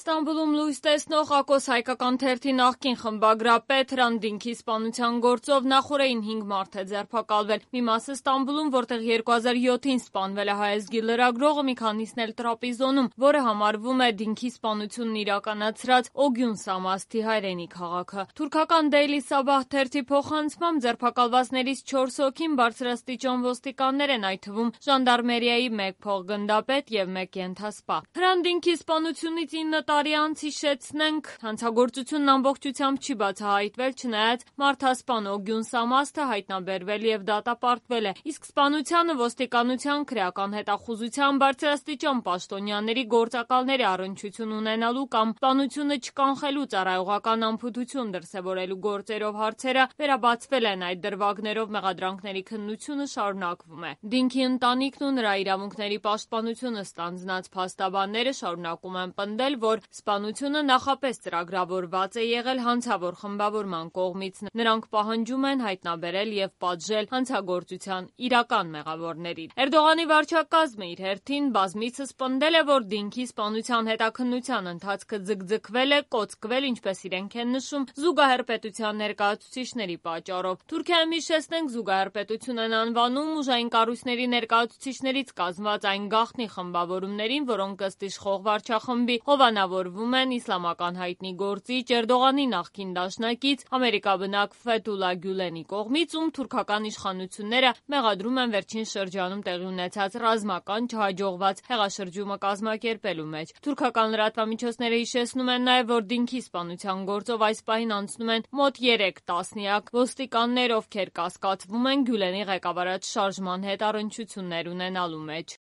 Ստամբուլում լույս տեսնող Ակոս հայկական թերթի նախկին խմբագրապետ Հրանտ Դինքի սպանության գործով նախօրեին 5 մարդ է ձերբակալվել։ Մի մասը Ստամբուլում, որտեղ 2007-ին սպանվել է հայազգի լրագրողը, մի քանիսն էլ Տրապիզոնում, որը համարվում է Դինքի սպանությունն իրականացրած Օգյուն Սամասթի հայրենի քաղաքը։ Թուրքական Daily Sabah թերթի փոխանցմամբ ձերբակալվածներից 4 հոգին բարձրաստիճան ոստիկաններ են, այդ թվում ժանդարմերիայի 1 փոխգնդապետ եւ 1 ենթասպա։ Հրանտ Դինքի սպանությունից 9 տարի անց հիշեցնենք, հանցագործությունն ամբողջությամբ չի բացահայտվել, չնայած մարդասպան Օգյուն Սամասթը հայտնաբերվել եւ դատապարտվել է, իսկ սպանությանը ոստիկանության քրեական հետախուզության բարձրաստիճան պաշտոնյաների գործակալների առնչություն ունենալու կամ սպանությունը չկանխելու ծառայողական անփութություն դրսևորելու գործերով հարցերը վերաբացվել են, այդ դրվագներով մեղադրանքների քննությունը շարունակվում է։ Դինքի ընտանիքն ու նրա իրավունքների պաշտպանությունը ստանձնած փաստաբանները շարունակում են պնդել, որ սպանությունը նախապես ծրագրավորված է եղել հանցավոր խմբավորման կողմից։ Նրանք պահանջում են հայտնաբերել եւ պատժել հանցագործության իրական մեղավորներին։ Էրդողանի վարչակազմը իր հերթին բազմիցս պնդել է, որ Դինքի սպանության հետաքննության ընթացքը ձգձգվել է, կոծկվել, ինչպես իրենք են նշում, զուգահեռ պետության ներկայացուցիչների պատճառով։ Թուրքիայում, հիշեցնենք, զուգահեռ պետություն են անվանում ուժային կառույցների ներկայացուցիչներից կազմված այն գաղտնի խմբավորումներին, որոնք ըստ իշխող վարչախմբի հովանավորվում են իսլամական հայտնի գործիչ Էրդողանի նախկին դաշնակից ամերիկաբնակ Ֆեթուլա Գյուլենի կողմից, ում թուրքական իշխանությունները մեղադրում են վերջին շրջանում տեղի ունեցած ռազմական չհաջողված հեղաշրջումը կազմակերպելու մեջ։ Թուրքական լրատվամիջոցները հիշեցնում են նաև, որ Դինքի սպանության գործով այս պահին անցնում են մոտ 3 տասնյակ ոստիկաններ, ովքեր կասկածվում են Գյուլենի ղեկավարած շարժման հետ առնչություններ ունենալու մեջ։